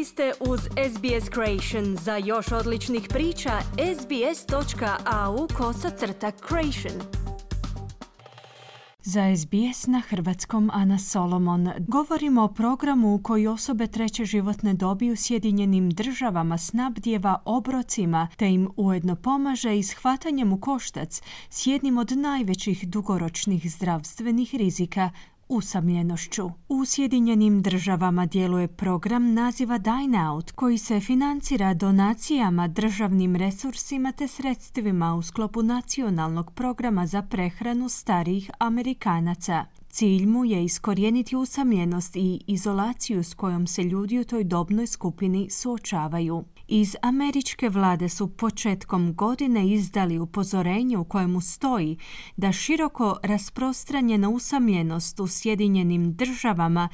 Vi ste uz SBS Creation. Za još odličnih priča, sbs.au/creation. Za SBS na hrvatskom Ana Solomon. Govorimo o programu u koji osobe treće životne dobi u Sjedinjenim Državama snabdijeva obrocima te im ujedno pomaže i s hvatanjem u koštac s jednim od najvećih dugoročnih zdravstvenih rizika – usamljenošću. U Sjedinjenim Državama djeluje program naziva Dine Out koji se financira donacijama, državnim resursima te sredstvima u sklopu nacionalnog programa za prehranu starijih Amerikanaca. Cilj mu je iskorijeniti usamljenost i izolaciju s kojom se ljudi u toj dobnoj skupini suočavaju. Iz američke vlade su početkom godine izdali upozorenje u kojemu stoji da široko rasprostranjena usamljenost u Sjedinjenim Državama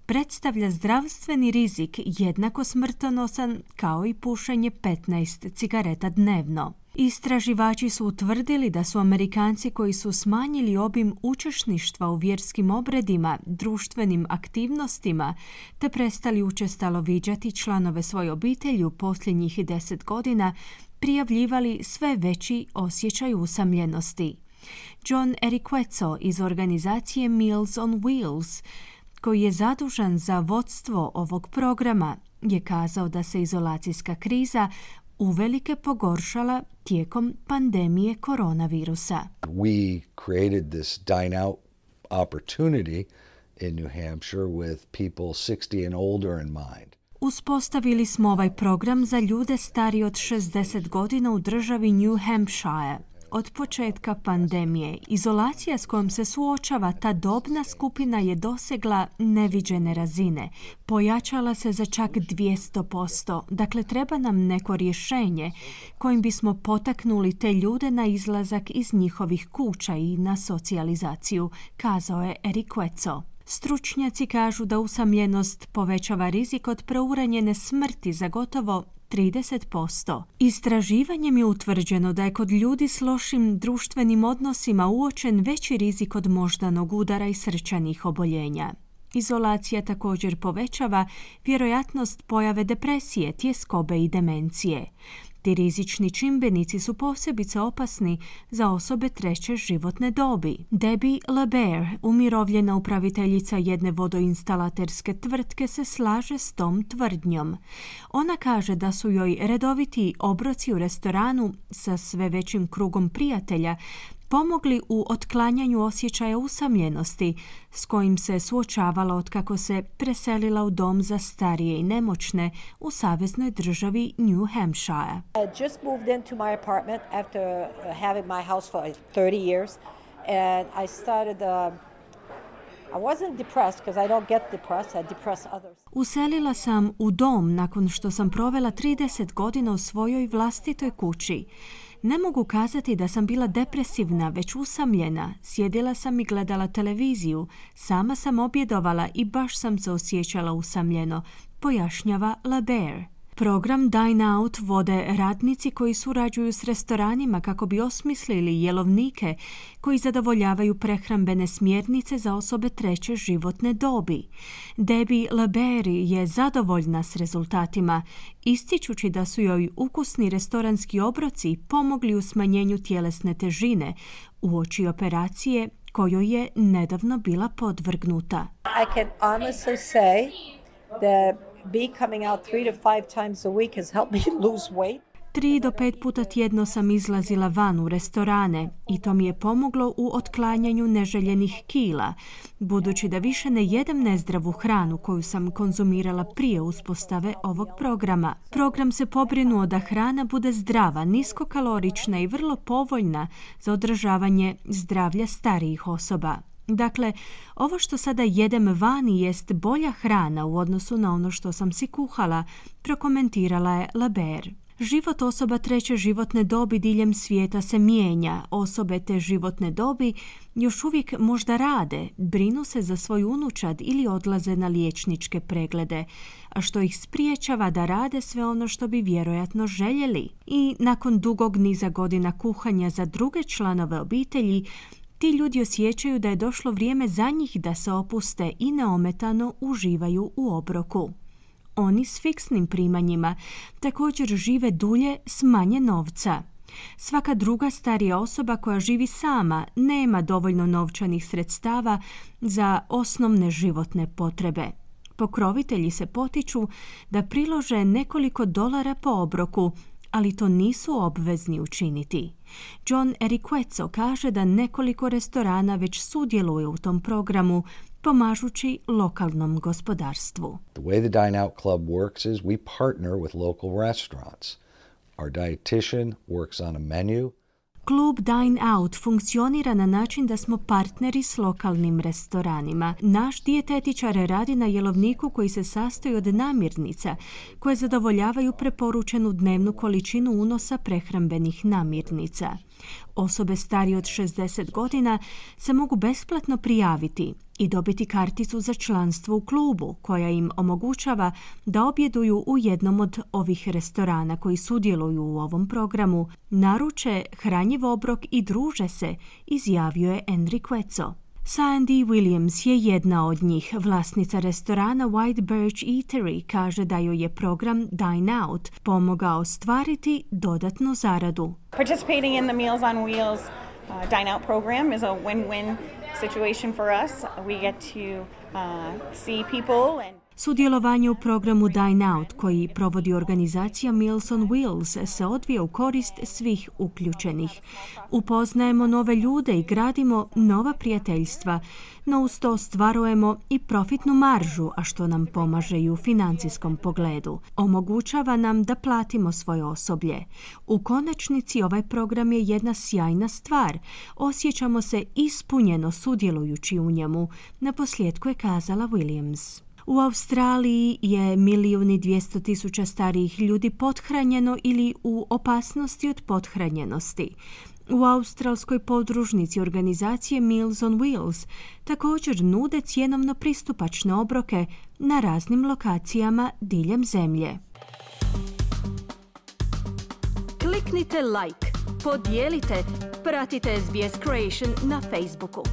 predstavlja zdravstveni rizik jednako smrtonosan kao i pušenje 15 cigareta dnevno. Istraživači su utvrdili da su Amerikanci koji su smanjili obim učešništva u vjerskim obredima, društvenim aktivnostima, te prestali učestalo viđati članove svoje obitelji u posljednjih 10 godina, prijavljivali sve veći osjećaj usamljenosti. John Eriquezzo iz organizacije Meals on Wheels, koji je zadužen za vodstvo ovog programa, je kazao da se izolacijska kriza uvelike pogoršala tijekom pandemije koronavirusa. We created this dine out opportunity in New Hampshire with people 60 and older in mind. Uspostavili smo ovaj program za ljude stariji od 60 godina u državi New Hampshire. Od početka pandemije, izolacija s kojom se suočava ta dobna skupina je dosegla neviđene razine. Pojačala se za čak 200%. Dakle, treba nam neko rješenje kojim bismo potaknuli te ljude na izlazak iz njihovih kuća i na socijalizaciju, kazao je Eriquezzo. Stručnjaci kažu da usamljenost povećava rizik od preuranjene smrti za gotovo 30%. Istraživanjem je utvrđeno da je kod ljudi s lošim društvenim odnosima uočen veći rizik od moždanog udara i srčanih oboljenja. Izolacija također povećava vjerojatnost pojave depresije, tjeskobe i demencije. Ti rizični čimbenici su posebice opasni za osobe treće životne dobi. Debbie LeBaer, umirovljena upraviteljica jedne vodoinstalaterske tvrtke, se slaže s tom tvrdnjom. Ona kaže da su joj redoviti obroci u restoranu sa sve većim krugom prijatelja pomogli u otklanjanju osjećaja usamljenosti s kojim se suočavala otkako se preselila u dom za starije i nemoćne u saveznoj državi New Hampshire. I just moved into my apartment after having my house for 30 years and I started I wasn't depressed because I don't get depressed, I depress others. Uselila sam u dom nakon što sam provela 30 godina u svojoj vlastitoj kući. Ne mogu kazati da sam bila depresivna, već usamljena. Sjedila sam i gledala televiziju. Sama sam objedovala i baš sam se osjećala usamljeno, pojašnjava LeBaer. Program Dine Out vode radnici koji surađuju s restoranima kako bi osmislili jelovnike koji zadovoljavaju prehrambene smjernice za osobe treće životne dobi. Debbie LeBaer je zadovoljna s rezultatima, ističući da su joj ukusni restoranski obroci pomogli u smanjenju tjelesne težine uoči operacije kojoj je nedavno bila podvrgnuta. I can honestly say that coming out 3 to 5 times a week has helped me lose weight. 3 do 5 puta tjedno sam izlazila van u restorane i to mi je pomoglo u otklanjanju neželjenih kila, budući da više ne jedem nezdravu hranu koju sam konzumirala prije uspostave ovog programa. Program se pobrinuo da hrana bude zdrava, niskokalorična i vrlo povoljna za održavanje zdravlja starijih osoba. Dakle, ovo što sada jedem vani jest bolja hrana u odnosu na ono što sam si kuhala, prokomentirala je LeBaer. Život osoba treće životne dobi diljem svijeta se mijenja. Osobe te životne dobi još uvijek možda rade, brinu se za svoj unučad ili odlaze na liječničke preglede, a što ih spriječava da rade sve ono što bi vjerojatno željeli. I nakon dugog niza godina kuhanja za druge članove obitelji, ti ljudi osjećaju da je došlo vrijeme za njih da se opuste i neometano uživaju u obroku. Oni s fiksnim primanjima također žive dulje s manje novca. Svaka druga starija osoba koja živi sama nema dovoljno novčanih sredstava za osnovne životne potrebe. Pokrovitelji se potiču da prilože nekoliko dolara po obroku, ali to nisu obvezni učiniti. John Eriquezzo kaže da nekoliko restorana već sudjeluje u tom programu, pomažući lokalnom gospodarstvu. The way the Dine Out Club works is we partner with local restaurants. Our dietitian works on a menu. Klub Dine Out funkcionira na način da smo partneri s lokalnim restoranima. Naš dijetetičar radi na jelovniku koji se sastoji od namirnica koje zadovoljavaju preporučenu dnevnu količinu unosa prehrambenih namirnica. Osobe starije od 60 godina se mogu besplatno prijaviti i dobiti karticu za članstvo u klubu koja im omogućava da objeduju u jednom od ovih restorana koji sudjeluju u ovom programu, naruče hranjiv obrok i druže se, izjavio je Enriquezzo. Sandy Williams je jedna od njih. Vlasnica restorana White Birch Eatery kaže da joj je program Dine Out pomogao ostvariti dodatnu zaradu. Participating in the Meals on Wheels Dine Out program is a win-win situation for us. We get to see people and Sudjelovanje u programu Dine Out koji provodi organizacija Meals on Wheels se odvija u korist svih uključenih. Upoznajemo nove ljude i gradimo nova prijateljstva, no uz to ostvarujemo i profitnu maržu, a što nam pomaže i u financijskom pogledu. Omogućava nam da platimo svoje osoblje. U konačnici ovaj program je jedna sjajna stvar. Osjećamo se ispunjeno sudjelujući u njemu, naposljetku je kazala Williams. U Australiji je 1.200.000 starijih ljudi pothranjeno ili u opasnosti od pothranjenosti. U australskoj podružnici organizacije Meals on Wheels također nude cjenovno pristupačne obroke na raznim lokacijama diljem zemlje. Kliknite like, podijelite, pratite SBS Creation na Facebooku.